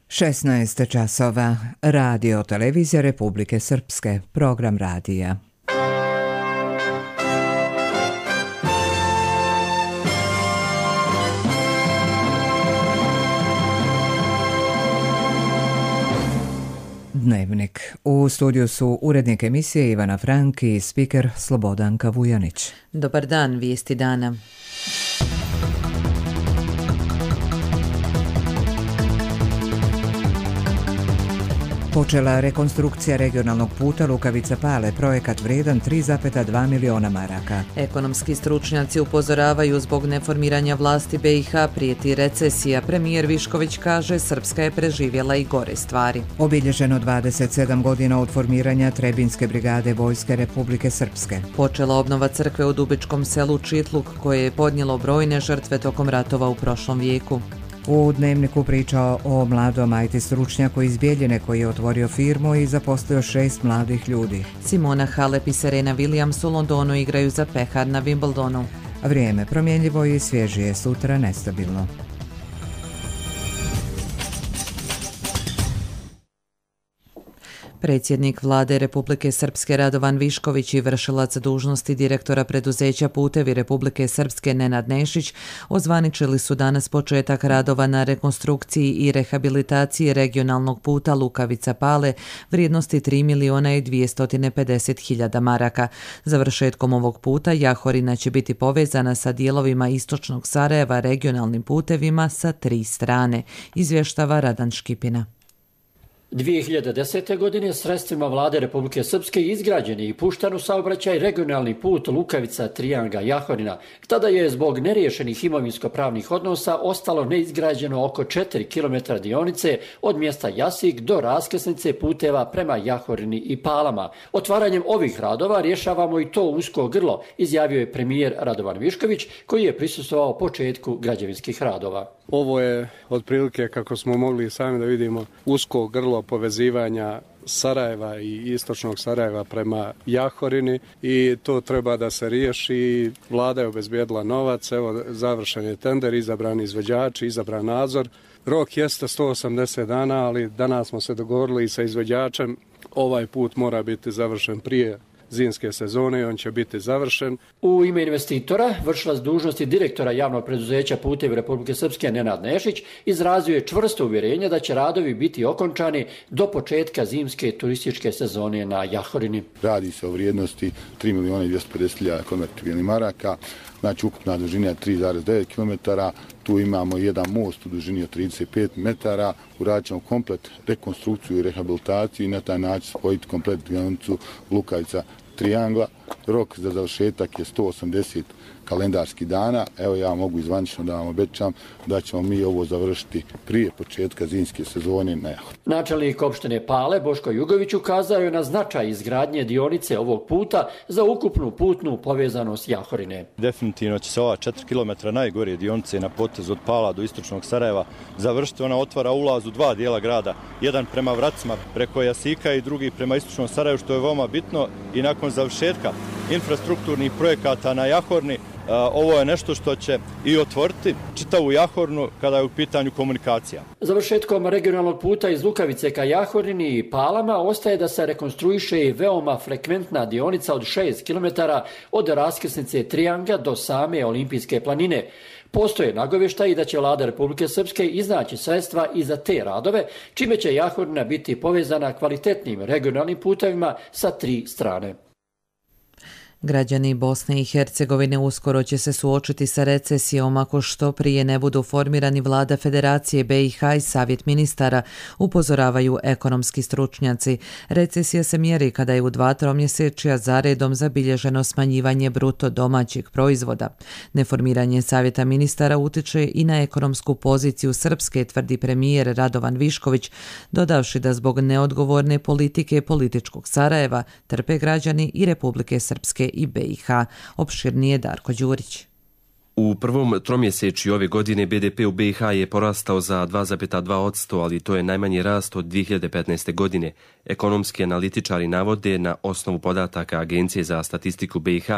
16 časova. Radio televizija Republike Srpske. Program radija. Dnevnik. U studiju su urednik emisije Ivana Frank i spiker Slobodanka Vujanić. Dobar dan, vijesti dana. Počela rekonstrukcija regionalnog puta Lukavica-Pale, projekat vredan 3,2 miliona maraka. Ekonomski stručnjaci upozoravaju zbog neformiranja vlasti BiH prijeti recesija. Premijer Višković kaže Srpska je preživjela i gore stvari. Obilježeno 27 godina od formiranja Trebinske brigade Vojske Republike Srpske. Počela obnova crkve u Dubičkom selu Čitluk koje je podnijelo brojne žrtve tokom ratova u prošlom vijeku. U Dnevniku pričao o mladom IT stručnjaku iz Bijeljine koji je otvorio firmu i zaposlio 6 mladih ljudi. Simona Halep i Serena Williams u Londonu igraju za pehar na Wimbledonu. Vrijeme promjenljivo i svježije, sutra nestabilno. Predsjednik Vlade Republike Srpske Radovan Višković i vršilac dužnosti direktora preduzeća Putevi Republike Srpske Nenad Nešić ozvaničili su danas početak radova na rekonstrukciji i rehabilitaciji regionalnog puta Lukavica-Pale vrijednosti 3.250.000 maraka. Završetkom ovog puta Jahorina će biti povezana sa dijelovima istočnog Sarajeva regionalnim putevima sa 3 strane, izvještava Radan Škipina. 2010. godine sredstvima Vlade Republike Srpske izgrađen je i pušten u saobraćaj regionalni put Lukavica-Trijanga-Jahorina. Tada je zbog neriješenih imovinsko-pravnih odnosa ostalo neizgrađeno oko 4 km dionice od mjesta Jasik do raskrsnice puteva prema Jahorini i Palama. Otvaranjem ovih radova rješavamo i to usko grlo, izjavio je premijer Radovan Višković koji je prisustvovao početku građevinskih radova. Ovo je otprilike, kako smo mogli sami da vidimo, usko grlo povezivanja Sarajeva i istočnog Sarajeva prema Jahorini i to treba da se riješi. Vlada je obezbijedila novac, evo završen je tender, izabrani izvođači, izabran nadzor. Rok jeste 180 dana, ali danas smo se dogovorili i sa izvođačem. Ovaj put mora biti završen prije zimske sezone i on će biti završen. U ime investitora, vršilac dužnosti direktora javnog preduzeća Putevi Republike Srpske Nenad Nešić izrazio je čvrsto uvjerenje da će radovi biti okončani do početka zimske turističke sezone na Jahorini. Radi se o vrijednosti 3.250.000 konvertibilnih maraka, znači ukupna dužina je 3,9 km, tu imamo jedan most u dužini od 35 metara, uradit ćemo komplet rekonstrukciju i rehabilitaciju i na taj način spojiti komplet dionicu Lukavica-Trijangla. Rok za završetak je 180 kalendarskih dana. Evo ja mogu izvanično da vam obećam da ćemo mi ovo završiti prije početka zimske sezone na Jahorini. Načelnik opštine Pale Boško Jugović ukazao je na značaj izgradnje dionice ovog puta za ukupnu putnu povezanost Jahorine. Definitivno će se ova 4 km najgore dionice na potezu od Pala do istočnog Sarajeva završiti. Ona otvara ulaz u 2 dijela grada, jedan prema Vracima preko Jasika i drugi prema istočnom Sarajevu, što je veoma bitno, i nakon završetka infrastrukturnih projekata na Jahorini ovo je nešto što će i otvoriti čitavu Jahorinu kada je u pitanju komunikacija. Završetkom regionalnog puta iz Lukavice ka Jahorini i Palama ostaje da se rekonstruiše i veoma frekventna dionica od 6 km od raskrsnice Trijanga do same Olimpijske planine. Postoje nagovještaji da će Vlada Republike Srpske iznaći sredstva i za te radove, čime će Jahorina biti povezana kvalitetnim regionalnim putevima sa 3 strane. Građani Bosne i Hercegovine uskoro će se suočiti sa recesijom ako što prije ne budu formirani Vlada Federacije BiH i Savjet ministara, upozoravaju ekonomski stručnjaci. Recesija se mjeri kada je u 2 tromjesečja zaredom zabilježeno smanjivanje bruto domaćeg proizvoda. Neformiranje Savjeta ministara utiče i na ekonomsku poziciju Srpske, tvrdi premijer Radovan Višković, dodavši da zbog neodgovorne politike političkog Sarajeva trpe građani i Republike Srpske i BiH. Opširnije Darko Đurić. U prvom tromjesečju ove godine BDP u BiH je porastao za 2,2%, ali to je najmanji rast od 2015. godine. Ekonomski analitičari navode na osnovu podataka Agencije za statistiku BiH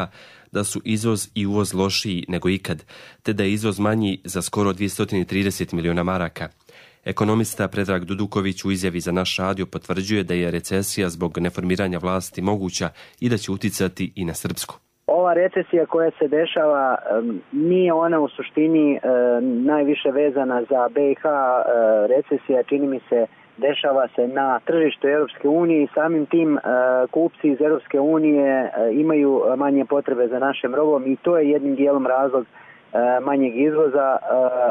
da su izvoz i uvoz lošiji nego ikad, te da je izvoz manji za skoro 230 miliona maraka. Ekonomista Predrag Duduković u izjavi za naš radio potvrđuje da je recesija zbog neformiranja vlasti moguća i da će uticati i na Srpsku. Ova recesija koja se dešava nije ona u suštini najviše vezana za BiH. Recesija, čini mi se, dešava se na tržištu Europske unije i samim tim kupci iz Europske unije imaju manje potrebe za našim robom i to je jednim dijelom razlog manjeg izvoza,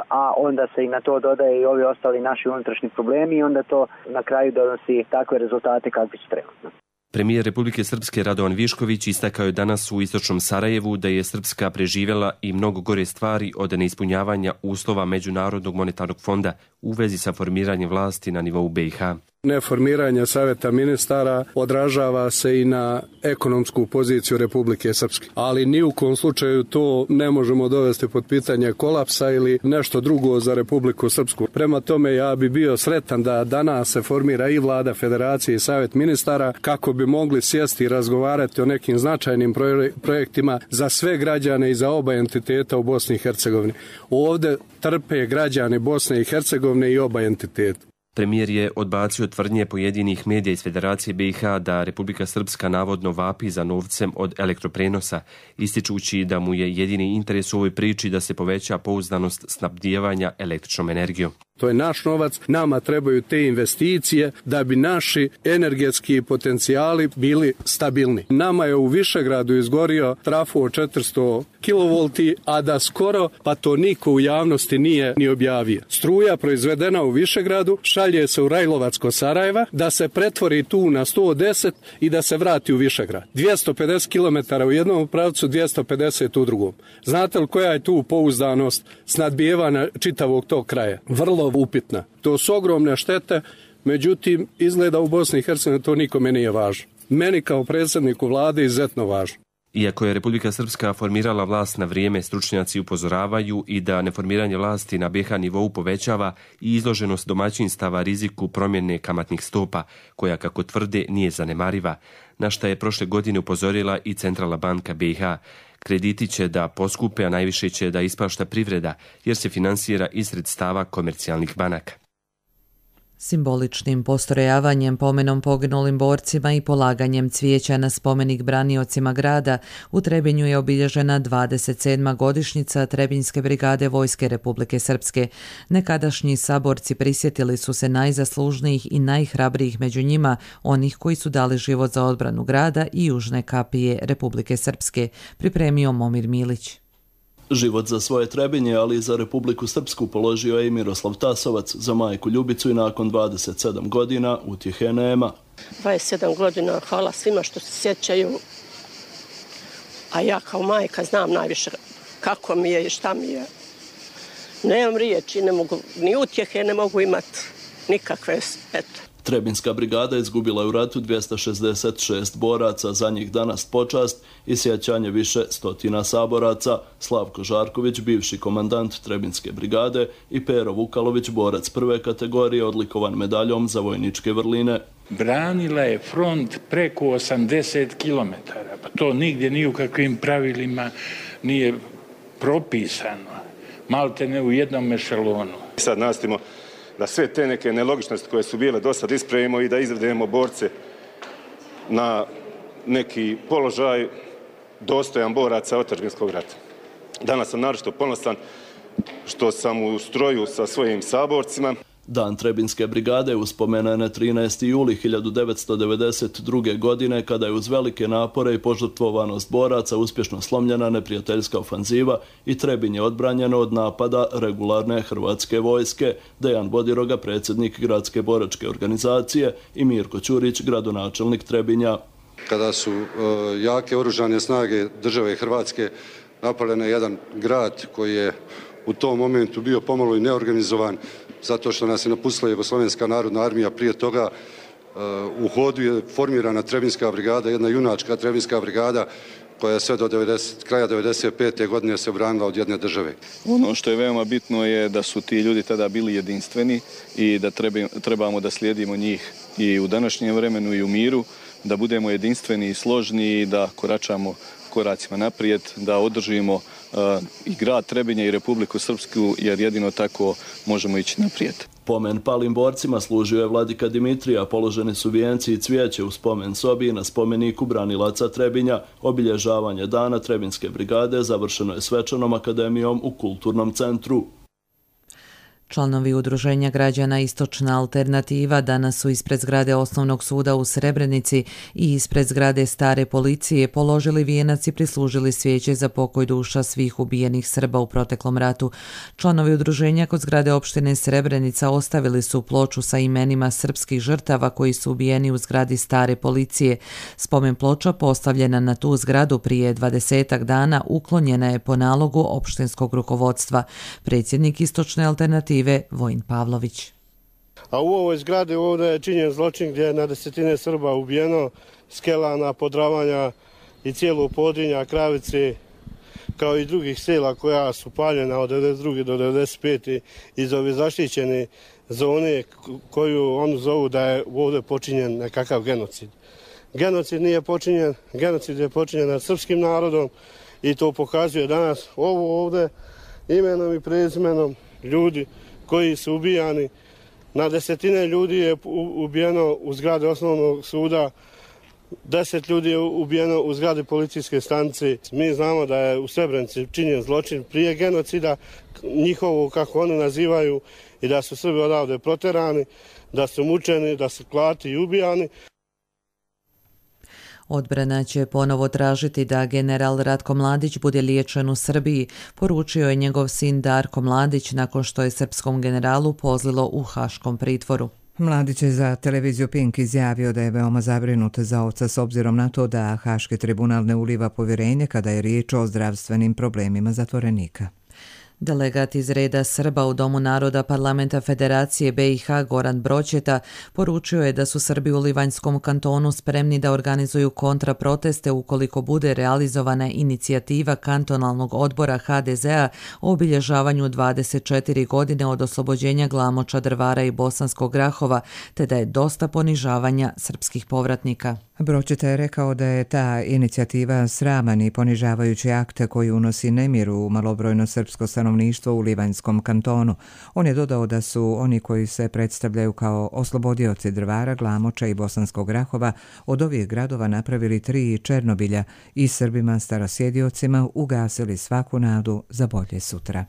a onda se i na to dodaje i ovi ostali naši unutrašnji problemi i onda to na kraju donosi takve rezultate kakvi su trenutno. Premijer Republike Srpske Radovan Višković istakao je danas u istočnom Sarajevu da je Srpska preživjela i mnogo gore stvari od neispunjavanja uslova Međunarodnog monetarnog fonda u vezi sa formiranjem vlasti na nivou BiH. Neformiranje savjeta ministara odražava se i na ekonomsku poziciju Republike Srpske. Ali ni u kom slučaju to ne možemo dovesti pod pitanje kolapsa ili nešto drugo za Republiku Srpsku. Prema tome ja bi bio sretan da danas se formira i vlada federacije i savjet ministara kako bi mogli sjesti i razgovarati o nekim značajnim projektima za sve građane i za oba entiteta u Bosni i Hercegovini. Ovdje trpe građani Bosne i Hercegovine i oba entiteta. Premijer je odbacio tvrdnje pojedinih medija iz Federacije BiH da Republika Srpska navodno vapi za novcem od elektroprenosa, ističući da mu je jedini interes u ovoj priči da se poveća pouzdanost snabdijevanja električnom energijom. To je naš novac, nama trebaju te investicije da bi naši energetski potencijali bili stabilni. Nama je u Višegradu izgorio trafo od 400 kV, a da skoro pa to niko u javnosti nije ni objavio. Struja proizvedena u Višegradu šalje se u Rajlovac kod Sarajeva, da se pretvori tu na 110 i da se vrati u Višegrad. 250 km u jednom pravcu, 250 u drugom. Znate li koja je tu pouzdanost snadbijevanja čitavog tog kraja? Vrlo upitna. To su ogromne štete, međutim, izgleda u Bosni i Hercegovini to nikome nije važno. Meni kao predsjedniku vlade izuzetno važno. Iako je Republika Srpska formirala vlast na vrijeme, stručnjaci upozoravaju i da neformiranje vlasti na BiH nivou povećava i izloženost domaćinstava riziku promjene kamatnih stopa, koja, kako tvrde, nije zanemariva, na šta je prošle godine upozorila i Centralna banka BiH. Krediti će da poskupe, a najviše će da ispašta privreda, jer se finansira iz sredstava komercijalnih banaka. Simboličnim postrojavanjem pomenom poginulim borcima i polaganjem cvijeća na spomenik braniocima grada u Trebinju je obilježena 27. godišnjica Trebinjske brigade Vojske Republike Srpske. Nekadašnji saborci prisjetili su se najzaslužnijih i najhrabrijih među njima, onih koji su dali život za odbranu grada i južne kapije Republike Srpske, pripremio Momir Milić. Život za svoje Trebinje, ali i za Republiku Srpsku položio je i Miroslav Tasovac, za majku Ljubicu i nakon 27 godina utjehe nema. 27 godina, hvala svima što se sjećaju, a ja kao majka znam najviše kako mi je i šta mi je. Nemam riječi, ne mogu, ni utjehe ne mogu imati nikakve, eto. Trebinjska brigada izgubila je u ratu 266 boraca, za njih danas počast i sjećanje više stotina saboraca. Slavko Žarković, bivši komandant Trebinjske brigade, i Pero Vukalović, borac prve kategorije, odlikovan medaljom za vojničke vrline. Branila je front preko 80 km, pa to nigdje ni u kakvim pravilima nije propisano, malte ne u jednom ešelonu. Sad nastavimo da sve te neke nelogičnosti koje su bile do sad ispravimo i da izvedemo borce na neki položaj dostojan boraca otadžbinskog rata. Danas sam naročito ponosan što sam u stroju sa svojim saborcima. Dan Trebinjske brigade uspomena je na 13. juli 1992. godine, kada je uz velike napore i požrtvovanost boraca uspješno slomljena neprijateljska ofanziva i Trebinje odbranjeno od napada regularne hrvatske vojske. Dejan Bodiroga, predsjednik gradske boračke organizacije, i Mirko Ćurić, gradonačelnik Trebinja. Kada su jake oružane snage države Hrvatske napale na jedan grad koji je u tom momentu bio pomalo i neorganizovan, zato što nas je napustila Jugoslovenska narodna armija. Prije toga u hodu je formirana Trebinjska brigada, jedna junačka Trebinjska brigada koja je sve do kraja 1995. godine se obranila od jedne države. Ono što je veoma bitno je da su ti ljudi tada bili jedinstveni i da trebamo da slijedimo njih i u današnjem vremenu i u miru, da budemo jedinstveni i složni i da koračamo koracima naprijed, da održimo i grad Trebinje i Republiku Srpsku, jer jedino tako možemo ići naprijed. Pomen palim borcima služio je vladika Dimitrija, položeni su vijenci i cvijeće u spomen sobi na spomeniku branilaca Trebinja. Obilježavanje dana Trebinske brigade završeno je svečanom akademijom u kulturnom centru. Članovi Udruženja građana Istočna alternativa danas su ispred zgrade Osnovnog suda u Srebrenici i ispred zgrade Stare policije položili vijenac i prislužili svijeće za pokoj duša svih ubijenih Srba u proteklom ratu. Članovi udruženja kod zgrade opštine Srebrenica ostavili su ploču sa imenima srpskih žrtava koji su ubijeni u zgradi Stare policije. Spomen ploča postavljena na tu zgradu prije 20 dana uklonjena je po nalogu opštinskog rukovodstva. Predsjednik Istočne alternative Vojin Pavlović. A u ovoj zgradi ovdje je činjen zločin gdje je na desetine Srba ubijeno, Skelana, Podravanja i cijelo Podrinja, Kravice, kao i drugih sela koja su paljena od 1992. do 1995. iz ove zaštićene zone koju oni zovu da je ovdje počinjen nekakav genocid. Genocid nije počinjen, genocid je počinjen nad srpskim narodom i to pokazuje danas ovo ovdje imenom i prezimenom ljudi koji su ubijani. Na desetine ljudi je ubijeno u zgradi Osnovnog suda, 10 ljudi je ubijeno u zgradi policijske stanice. Mi znamo da je u Srebrenici činjen zločin prije genocida, njihovo kako oni nazivaju, i da su Srbi odavde proterani, da su mučeni, da su klati i ubijani. Odbrana će ponovo tražiti da general Ratko Mladić bude liječen u Srbiji, poručio je njegov sin Darko Mladić nakon što je srpskom generalu pozlilo u haškom pritvoru. Mladić je za televiziju Pink izjavio da je veoma zabrinut za oca s obzirom na to da Haški tribunal ne uliva povjerenje kada je riječ o zdravstvenim problemima zatvorenika. Delegat iz reda Srba u Domu naroda Parlamenta Federacije BiH Goran Broćeta poručio je da su Srbi u Livanjskom kantonu spremni da organizuju kontraproteste ukoliko bude realizovana inicijativa kantonalnog odbora HDZ-a o obilježavanju 24 godine od oslobođenja Glamoča, Drvara i Bosanskog Grahova, te da je dosta ponižavanja srpskih povratnika. Broćeta je rekao da je ta inicijativa sraman i ponižavajući akt koji unosi nemir u malobrojno srpsko stanovništvo u Livanjskom kantonu. On je dodao da su oni koji se predstavljaju kao oslobodioci Drvara, Glamoča i Bosanskog Grahova od ovih gradova napravili 3 Černobilja i Srbima starosjediocima ugasili svaku nadu za bolje sutra.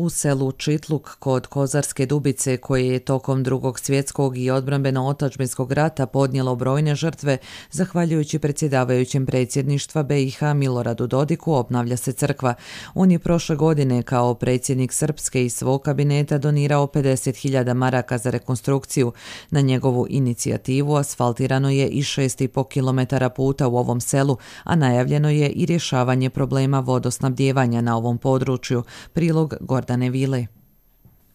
U selu Čitluk kod Kozarske Dubice, koje je tokom Drugog svjetskog i odbrambeno-otadžbinskog rata podnijelo brojne žrtve, zahvaljujući predsjedavajućem predsjedništva BiH Miloradu Dodiku, obnavlja se crkva. On je prošle godine kao predsjednik Srpske iz svog kabineta donirao 50.000 maraka za rekonstrukciju. Na njegovu inicijativu asfaltirano je i 6,5 km puta u ovom selu, a najavljeno je i rješavanje problema vodosnabdijevanja na ovom području. Prilog Gordane Vile.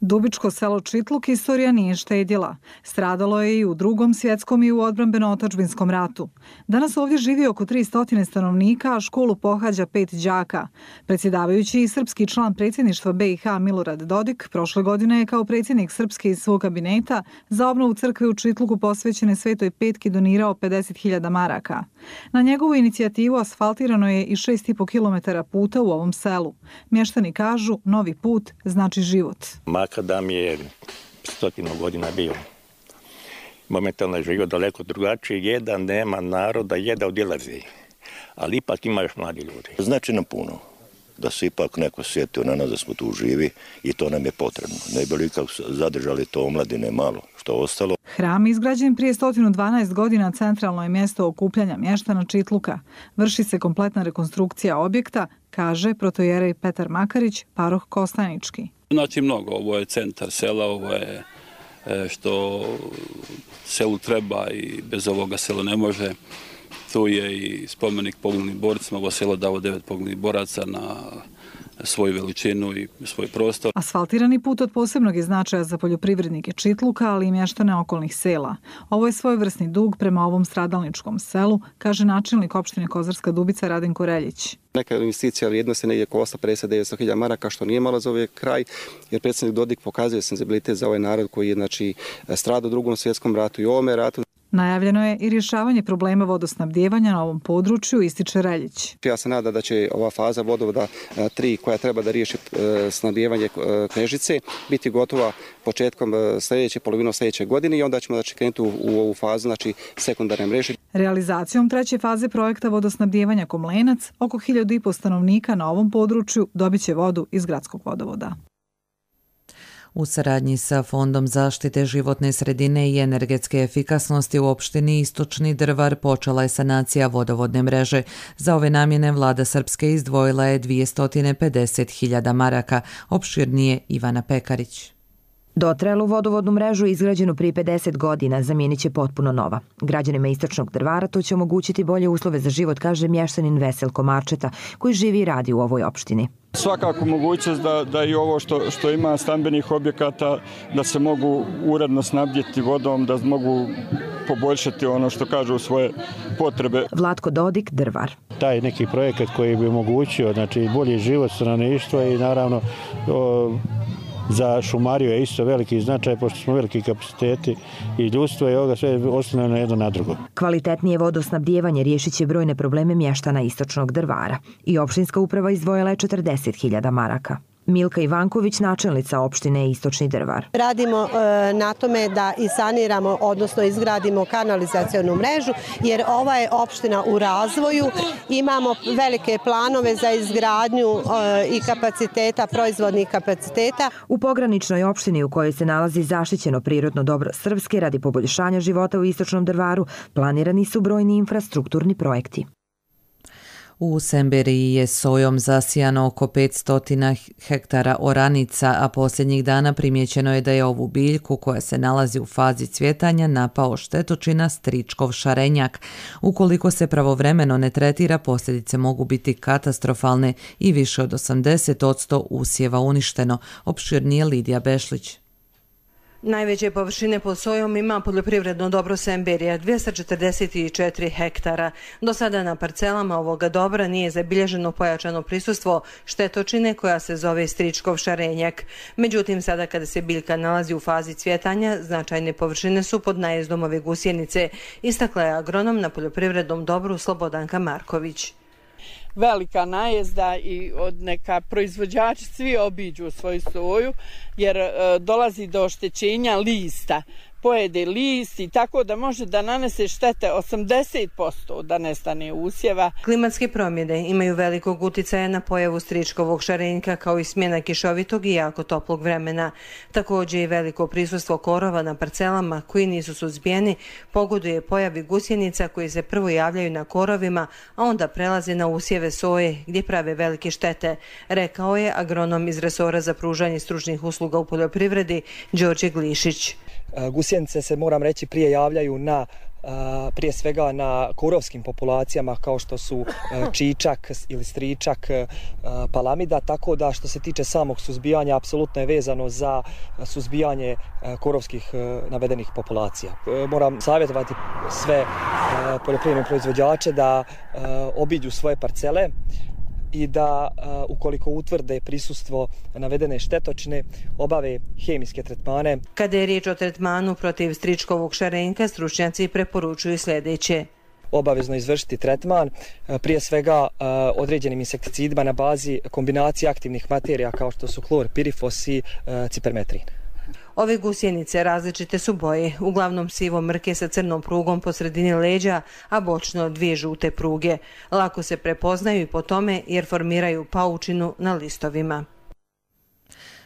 Dubičko selo Čitluk istorija nije štedjela. Stradalo je i u Drugom svjetskom i u odbrambeno-otadžbinskom ratu. Danas ovdje živi oko 300 stanovnika, a školu pohađa 5 đaka. Predsjedavajući i srpski član predsjedništva BiH Milorad Dodik prošle godine je kao predsjednik Srpske iz svog kabineta za obnovu crkve u Čitluku posvećene Svetoj Petki donirao 50.000 maraka. Na njegovu inicijativu asfaltirano je i 6,5 km puta u ovom selu. Mještani kažu, novi put znači život. Makadam je 100 godina bio. Momentalno je život daleko drugačiji, jedan nema naroda, jedan odlazi. Ali ipak ima još mladi ljudi. Znači nam puno da se ipak neko sjetio na nas da smo tu živi i to nam je potrebno. Ne bi li kako zadržali to omladine malo što ostalo. Hram izgrađen prije 112 godina centralno je mjesto okupljanja mještana Čitluka. Vrši se kompletna rekonstrukcija objekta, kaže protojerej Petar Makarić, paroh Kostanički. Znači mnogo, ovo je centar sela, ovo je što selu treba i bez ovoga selo ne može. Tu je i spomenik poginulih borcima, ovo selo davo 9 poginulih boraca na svoju veličinu i svoj prostor. Asfaltirani put od posebnog je značaja za poljoprivrednike Čitluka, ali i mještane okolnih sela. Ovo je svojevrsni dug prema ovom stradalničkom selu, kaže načelnik opštine Kozarska Dubica Radenko Reljić. Neka investicija vrijednosti negdje oko 850.000 maraka, što nije malo za ovaj kraj, jer predsjednik Dodik pokazuje senzibilitet za ovaj narod koji je stradao u Drugom svjetskom ratu i ovome ratu. Najavljeno je i rješavanje problema vodosnabdijevanja na ovom području, ističe Reljić. Ja se nadam da će ova faza vodovoda 3 koja treba da riješi snabdijevanje Knežice biti gotova početkom polovinom sljedeće godine i onda ćemo krenuti u ovu fazu, znači sekundarne mreže. Realizacijom treće faze projekta vodosnabdijevanja Komlenac, oko 1500 stanovnika na ovom području dobit će vodu iz gradskog vodovoda. U saradnji sa Fondom zaštite životne sredine i energetske efikasnosti u opštini Istočni Drvar počela je sanacija vodovodne mreže. Za ove namjene vlada Srpske izdvojila je 250.000 maraka, opširnije Ivana Pekarić. Dotrajalu vodovodnu mrežu izgrađenu prije 50 godina zamijenit će potpuno nova. Građanima Istočnog Drvara to će omogućiti bolje uslove za život, kaže mještanin Veselko Marčeta, koji živi i radi u ovoj opštini. Svakako mogućnost da i ovo što ima stambenih objekata, da se mogu uredno snabdjeti vodom, da mogu poboljšati ono što kažu svoje potrebe. Vlatko Dodik, Drvar. Taj neki projekat koji bi omogućio bolji život stanovništva i naravno za šumariju je isto veliki značaj, pošto smo veliki kapaciteti i ljudstvo je ovoga sve oslonjeno jedno na drugo. Kvalitetnije vodosnabdijevanje riješit će brojne probleme mještana Istočnog Drvara i opštinska uprava izdvojila je 40.000 maraka. Milka Ivanković, načelnica opštine Istočni Drvar. Radimo na tome da i saniramo, odnosno izgradimo kanalizacionu mrežu, jer ova je opština u razvoju. Imamo velike planove za izgradnju i kapaciteta, proizvodnih kapaciteta. U pograničnoj opštini u kojoj se nalazi zaštićeno prirodno dobro Srpske radi poboljšanja života u Istočnom Drvaru, planirani su brojni infrastrukturni projekti. U Semberiji je sojom zasijano oko 500 hektara oranica, a posljednjih dana primjećeno je da je ovu biljku, koja se nalazi u fazi cvjetanja, napao štetočina stričkov šarenjak. Ukoliko se pravovremeno ne tretira, posljedice mogu biti katastrofalne i više od 80% usjeva uništeno, opširnije Lidija Bešlić. Najveće površine pod sojom ima poljoprivredno dobro Semberija, 244 hektara. Do sada na parcelama ovoga dobra nije zabilježeno pojačano prisustvo štetočine koja se zove stričkov šarenjak. Međutim, sada kada se biljka nalazi u fazi cvjetanja, značajne površine su pod najezdom ove gusjenice, istakla je agronom na poljoprivrednom dobru Slobodanka Marković. Velika najezda i od neka proizvođači svi obiđu svoju soju jer dolazi do oštećenja lista. Pojede list i tako da može da nanese štete 80% da nestane usjeva. Klimatske promjene imaju velikog uticaja na pojavu stričkovog šarenjka kao i smjena kišovitog i jako toplog vremena. Također i veliko prisustvo korova na parcelama koji nisu suzbijeni pogoduje pojavi gusjenica koji se prvo javljaju na korovima, a onda prelaze na usjeve soje gdje prave velike štete, rekao je agronom iz resora za pružanje stručnih usluga u poljoprivredi Đorđe Glišić. Gusjenice se, moram reći, prije javljaju prije svega na korovskim populacijama kao što su čičak ili stričak, palamida, tako da što se tiče samog suzbijanja apsolutno je vezano za suzbijanje korovskih navedenih populacija. Moram savjetovati sve poljoprivredne proizvođače da obiđu svoje parcele i da ukoliko utvrde prisustvo navedene štetočine obave hemijske tretmane. Kada je riječ o tretmanu protiv stričkovog šarenjka, stručnjaci preporučuju sljedeće. Obavezno izvršiti tretman, prije svega određenim insekticidima na bazi kombinacije aktivnih materija kao što su klor, pirifos i cipermetrin. Ove gusjenice različite su boje, uglavnom sivo mrke sa crnom prugom po sredini leđa, a bočno 2 žute pruge. Lako se prepoznaju i po tome jer formiraju paučinu na listovima.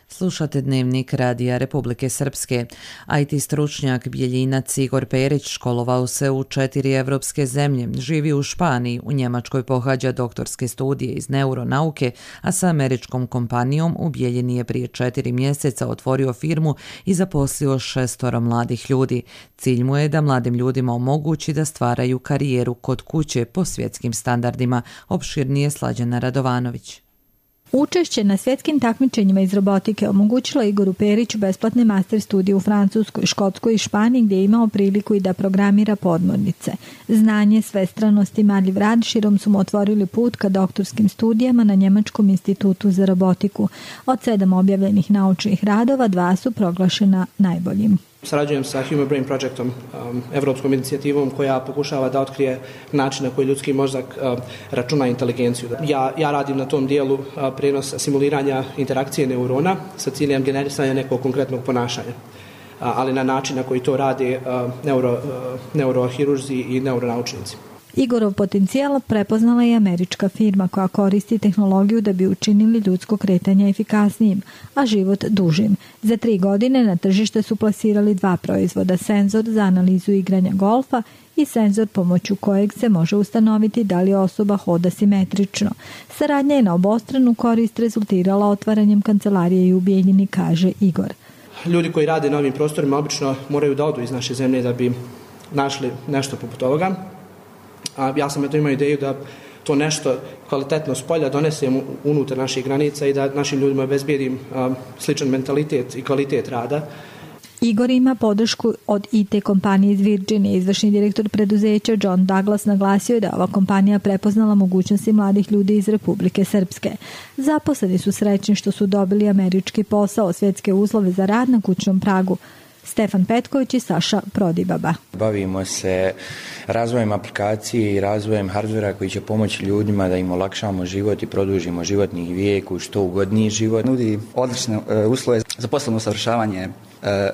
Slušate Dnevnik Radija Republike Srpske. IT stručnjak Bjeljinac Igor Perić školovao se u 4 evropske zemlje, živi u Španiji, u Njemačkoj pohađa doktorske studije iz neuronauke, a sa američkom kompanijom u Bjeljini je prije 4 mjeseca otvorio firmu i zaposlio 6 mladih ljudi. Cilj mu je da mladim ljudima omogući da stvaraju karijeru kod kuće po svjetskim standardima, opširnije Slađana Radovanović. Učešće na svjetskim takmičenjima iz robotike omogućilo Igoru Periću besplatne master studije u Francuskoj, Škotskoj i Španiji gdje je imao priliku i da programira podmornice. Znanje, svestranost i marljiv rad širom su mu otvorili put ka doktorskim studijama na Njemačkom institutu za robotiku. Od 7 objavljenih naučnih radova 2 su proglašena najboljim. Sarađujem sa Human Brain Projectom, evropskom inicijativom koja pokušava da otkrije način na koji ljudski mozak računa inteligenciju. Ja radim na tom dijelu prenosa simuliranja interakcije neurona sa ciljem generisanja nekog konkretnog ponašanja, ali na način na koji to rade neurohirurzi i neuronaučnici. Igorov potencijal prepoznala je američka firma koja koristi tehnologiju da bi učinili ljudsko kretanje efikasnijim, a život dužim. Za 3 godine na tržište su plasirali 2 proizvoda, senzor za analizu igranja golfa i senzor pomoću kojeg se može ustanoviti da li osoba hoda simetrično. Saradnja je na obostranu korist rezultirala otvaranjem kancelarije u Bijeljini, kaže Igor. Ljudi koji rade na ovim prostorima obično moraju da odu iz naše zemlje da bi našli nešto poput ovoga. Ja sam imao ideju da to nešto kvalitetno s polja donesem unutar naših granica i da našim ljudima obezbijedim sličan mentalitet i kvalitet rada. Igor ima podršku od IT kompanije iz Virginije. Izvršni direktor preduzeća John Douglas naglasio je da ova kompanija prepoznala mogućnosti mladih ljudi iz Republike Srpske. Zaposleni su srećni što su dobili američki posao, svjetske uslove za rad na kućnom pragu. Stefan Petković i Saša Prodibaba. Bavimo se razvojem aplikacije i razvojem hardvera koji će pomoći ljudima da im olakšamo život i produžimo životni vijek u što ugodniji život. Nudi odlične uslove za poslovno usavršavanje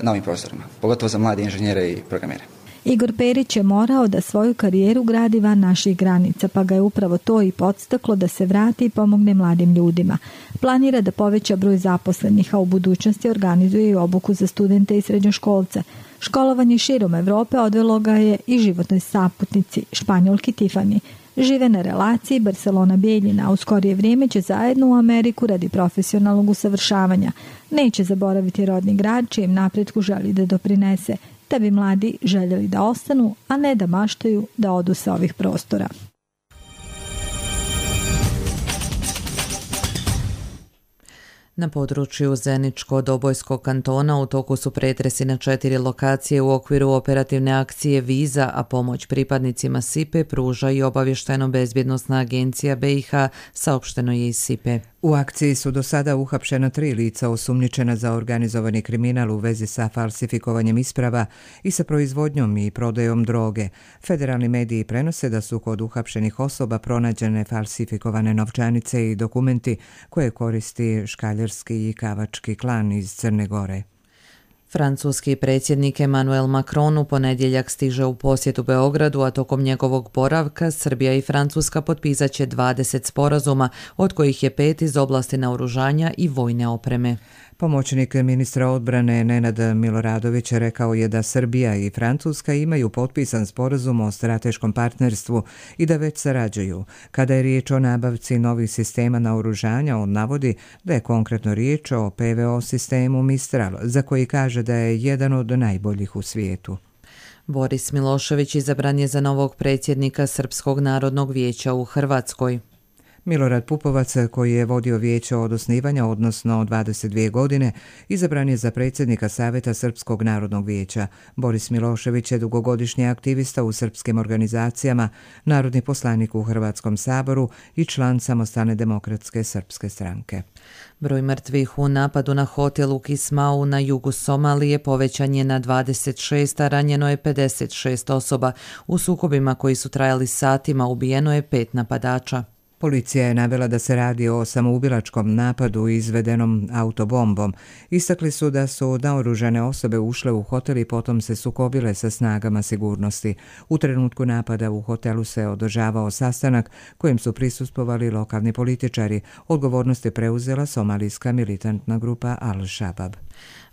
na ovim prostorima, pogotovo za mlade inženjere i programere. Igor Perić je morao da svoju karijeru gradi van naših granica, pa ga je upravo to i podstaklo da se vrati i pomogne mladim ljudima. Planira da poveća broj zaposlenih, a u budućnosti organizuje i obuku za studente i srednjoškolce. Školovanje širom Evrope odvelo ga je i životnoj saputnici, Španjolki Tiffany. Žive na relaciji Barcelona-Bijeljina, a u skorije vrijeme će zajedno u Ameriku radi profesionalnog usavršavanja. Neće zaboraviti rodni grad čijem napretku želi da doprinese, da bi mladi željeli da ostanu, a ne da maštaju da odu sa ovih prostora. Na području Zeničko-Dobojskog kantona u toku su pretresi na 4 lokacije u okviru operativne akcije Viza, a pomoć pripadnicima SIPE pruža i obavještajno-bezbjednosna agencija BiH, saopšteno je iz SIPE. U akciji su do sada uhapšena 3 lica osumnjičena za organizovani kriminal u vezi sa falsifikovanjem isprava i sa proizvodnjom i prodajom droge. Federalni mediji prenose da su kod uhapšenih osoba pronađene falsifikovane novčanice i dokumenti koje koristi škaljerski i kavački klan iz Crne Gore. Francuski predsjednik Emmanuel Macron u ponedjeljak stiže u posjetu Beogradu, a tokom njegovog boravka Srbija i Francuska potpisat će 20 sporazuma, od kojih je 5 iz oblasti naoružanja i vojne opreme. Pomoćnik ministra odbrane Nenad Miloradović rekao je da Srbija i Francuska imaju potpisan sporazum o strateškom partnerstvu i da već sarađuju. Kada je riječ o nabavci novih sistema naoružanja, on navodi da je konkretno riječ o PVO sistemu Mistral, za koji kaže da je jedan od najboljih u svijetu. Boris Milošević izabran je za novog predsjednika Srpskog narodnog vijeća u Hrvatskoj. Milorad Pupovac, koji je vodio vijeće od osnivanja, odnosno 22 godine, izabran je za predsjednika Savjeta Srpskog narodnog vijeća. Boris Milošević je dugogodišnji aktivista u srpskim organizacijama, narodni poslanik u Hrvatskom saboru i član Samostalne demokratske srpske stranke. Broj mrtvih u napadu na hotel u Kismau na jugu Somalije povećan je na 26, a ranjeno je 56 osoba. U sukobima koji su trajali satima ubijeno je 5 napadača. Policija je navela da se radi o samoubilačkom napadu izvedenom autobombom. Istakli su da su naoružane osobe ušle u hotel i potom se sukobile sa snagama sigurnosti. U trenutku napada u hotelu se održavao sastanak kojem su prisustvovali lokalni političari. Odgovornost je preuzela somalijska militantna grupa Al-Shabaab.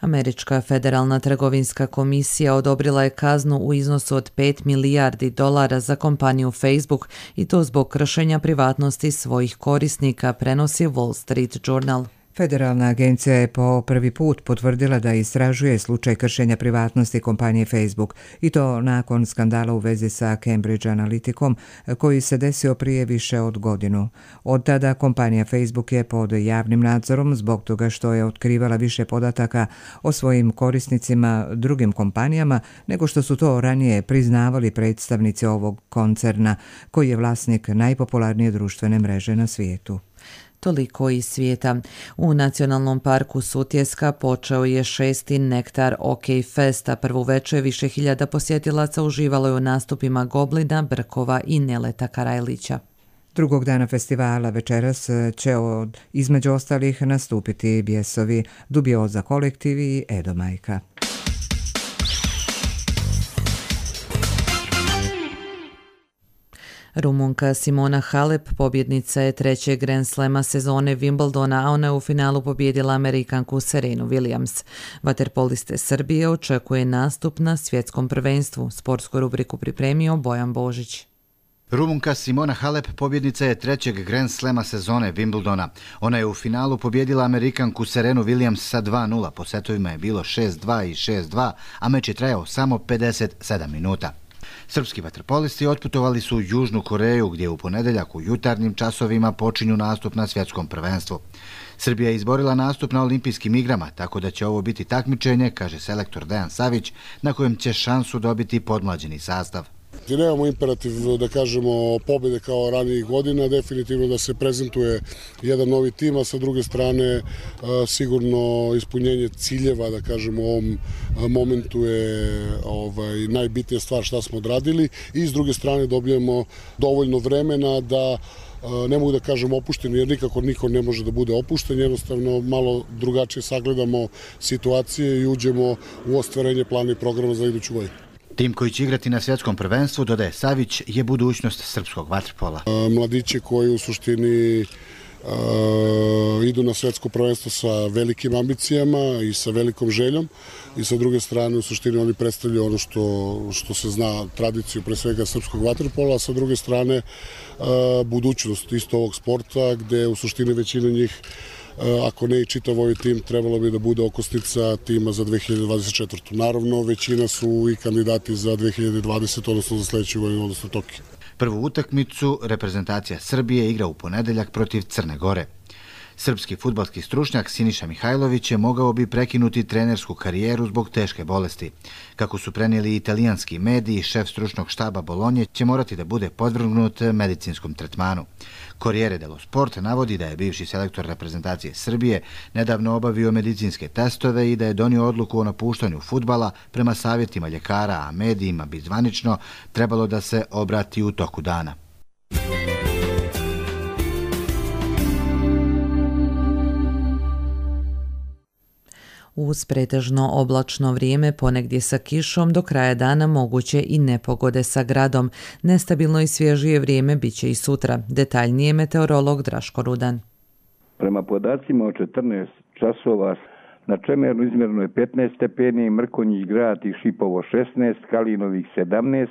Američka federalna trgovinska komisija odobrila je kaznu u iznosu od $5 milijardi za kompaniju Facebook i to zbog kršenja privatnosti svojih korisnika, prenosi Wall Street Journal. Federalna agencija je po prvi put potvrdila da istražuje slučaj kršenja privatnosti kompanije Facebook i to nakon skandala u vezi sa Cambridge Analyticom koji se desio prije više od godinu. Od tada kompanija Facebook je pod javnim nadzorom zbog toga što je otkrivala više podataka o svojim korisnicima drugim kompanijama nego što su to ranije priznavali predstavnici ovog koncerna koji je vlasnik najpopularnije društvene mreže na svijetu. Toliko iz svijeta. U Nacionalnom parku Sutjeska počeo je 6. Nektar OK Fest, a prvu večer više hiljada posjetilaca uživalo je u nastupima Goblina, Brkova i Neleta Karajlića. Drugog dana festivala večeras će između ostalih nastupiti Bjesovi, Dubioza kolektiv i Edo Majka. Rumunka Simona Halep pobjednica je trećeg Grand Slema sezone Wimbledona, a ona je u finalu pobjedila Amerikanku Serenu Williams. Vaterpoliste Srbije očekuje nastup na svjetskom prvenstvu. Sportsku rubriku pripremio Bojan Božić. Rumunka Simona Halep pobjednica je trećeg Grand Slema sezone Wimbledona. Ona je u finalu pobjedila Amerikanku Serenu Williams sa 2:0. Po setovima je bilo 6:2 i 6:2, a meč je trajao samo 57 minuta. Srpski vaterpolisti otputovali su u Južnu Koreju, gdje u ponedjeljak u jutarnjim časovima počinju nastup na svjetskom prvenstvu. Srbija je izborila nastup na olimpijskim igrama, tako da će ovo biti takmičenje, kaže selektor Dejan Savić, na kojem će šansu dobiti podmlađeni sastav. Nemamo imperativ da kažemo pobjede kao ranijih godina, definitivno da se prezentuje jedan novi tim, a sa druge strane sigurno ispunjenje ciljeva, da kažemo, u ovom momentu je najbitnija stvar šta smo odradili i s druge strane dobijemo dovoljno vremena da ne mogu da kažem opušteni, jer nikako niko ne može da bude opušten, jednostavno malo drugačije sagledamo situacije i uđemo u ostvarenje plana i programa za iduću godinu. Tim koji će igrati na svjetskom prvenstvu, dodaje Savić, je budućnost srpskog vaterpola. Mladići koji u suštini idu na svjetsko prvenstvo sa velikim ambicijama i sa velikom željom i sa druge strane u suštini oni predstavljaju ono što se zna, tradiciju pre svega srpskog vaterpola, a sa druge strane budućnost isto ovog sporta gdje u suštini većina njih, ako ne i čitav ovaj tim, trebalo bi da bude okosnica tima za 2024. Naravno, većina su i kandidati za 2020, odnosno za sljedeću godinu, odnosno Tokio. Prvu utakmicu reprezentacija Srbije igra u ponedjeljak protiv Crne Gore. Srpski fudbalski stručnjak Siniša Mihajlović je mogao bi prekinuti trenersku karijeru zbog teške bolesti. Kako su prenijeli italijanski mediji, šef stručnog štaba Bolonje će morati da bude podvrgnut medicinskom tretmanu. Corriere dello Sport navodi da je bivši selektor reprezentacije Srbije nedavno obavio medicinske testove i da je donio odluku o napuštanju fudbala prema savjetima ljekara, a medijima bi zvanično trebalo da se obrati u toku dana. Uz pretežno oblačno vrijeme, ponegdje sa kišom, do kraja dana moguće i nepogode sa gradom. Nestabilno i svježije vrijeme bit će i sutra. Detaljnije meteorolog Draško Rudan. Prema podacima od 14 časova na Čemernu izmjereno je 15 stepeni, Mrkonjić Grad i Šipovo 16, Kalinovih 17,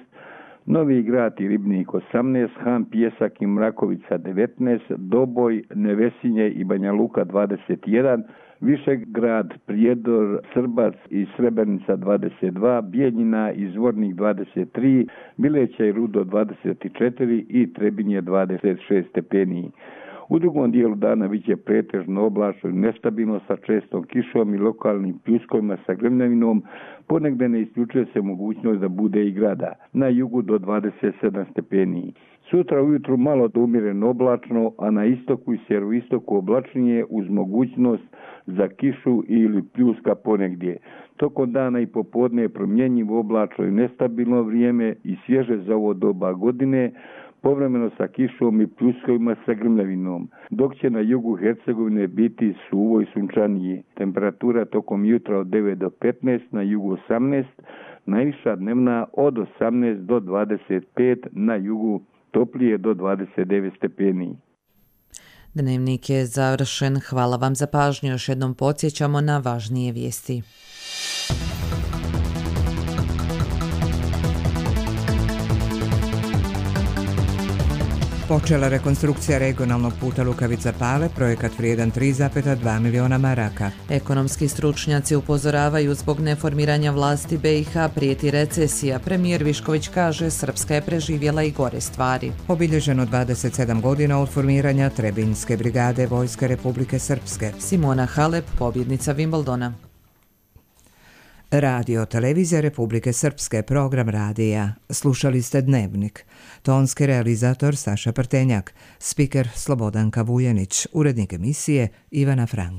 Novi Grad i Ribnik 18, Han Pjesak i Mrakovica 19, Doboj, Nevesinje i Banja Luka 21, Višegrad, Prijedor, Srbac i Srebrenica 22, Bijeljina i Zvornik 23, Bileća i Rudo 24 i Trebinje 26 stepeni. U drugom dijelu dana bit će pretežno oblačno i nestabilno sa čestom kišom i lokalnim pljuskovima sa grmljavinom, ponegde ne isključuje se mogućnost da bude i grada, na jugu do 27 stepeni. Sutra ujutru malo do umjereno oblačno, a na istoku i sjeveroistoku oblačnije uz mogućnost za kišu ili pljuska ponegdje. Tokom dana i popodne je promjenjivo oblačno i nestabilno vrijeme i svježe za ovo doba godine, povremeno sa kišom i pljuskovima sa grmljavinom, dok će na jugu Hercegovine biti suvo i sunčanije. Temperatura tokom jutra od 9 do 15, na jugu 18, najviša dnevna od 18 do 25, na jugu toplije do 29 stepeni. Dnevnik je završen. Hvala vam za pažnju. Još jednom podsjećamo na važnije vijesti. Počela rekonstrukcija regionalnog puta Lukavica-Pale, projekat vrijedan 3,2 miliona maraka. Ekonomski stručnjaci upozoravaju zbog neformiranja vlasti BiH prijeti recesija. Premijer Višković kaže Srpska je preživjela i gore stvari. Obilježeno 27 godina od formiranja Trebinjske brigade Vojske Republike Srpske. Simona Halep, pobjednica Wimbledona. Radio Televizija Republike Srpske, program radija. Slušali ste Dnevnik. Tonski realizator Saša Prtenjak, spiker Slobodanka Vujanić, urednik emisije Ivana Frank.